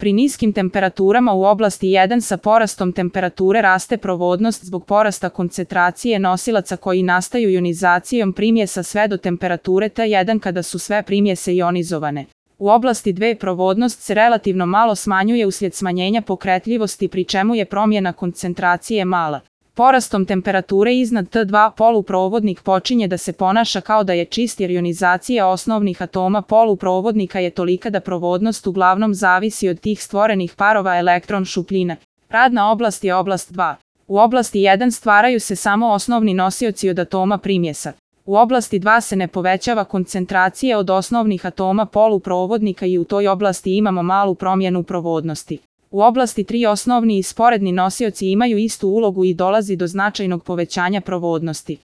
Pri niskim temperaturama u oblasti 1 sa porastom temperature raste provodnost zbog porasta koncentracije nosilaca koji nastaju ionizacijom primjesa sve do temperature T1 kada su sve primjese ionizovane. U oblasti 2 provodnost se relativno malo smanjuje uslijed smanjenja pokretljivosti pri čemu je promjena koncentracije mala. Porastom temperature iznad T2 poluprovodnik počinje da se ponaša kao da je čist jer ionizacija osnovnih atoma poluprovodnika je tolika da provodnost uglavnom zavisi od tih stvorenih parova elektron šupljina. Radna oblast je oblast 2. U oblasti 1 stvaraju se samo osnovni nosioci od atoma primjesa. U oblasti 2 se ne povećava koncentracija od osnovnih atoma poluprovodnika i u toj oblasti imamo malu promjenu provodnosti. U oblasti 3 osnovni i sporedni nosioci imaju istu ulogu i dolazi do značajnog povećanja provodnosti.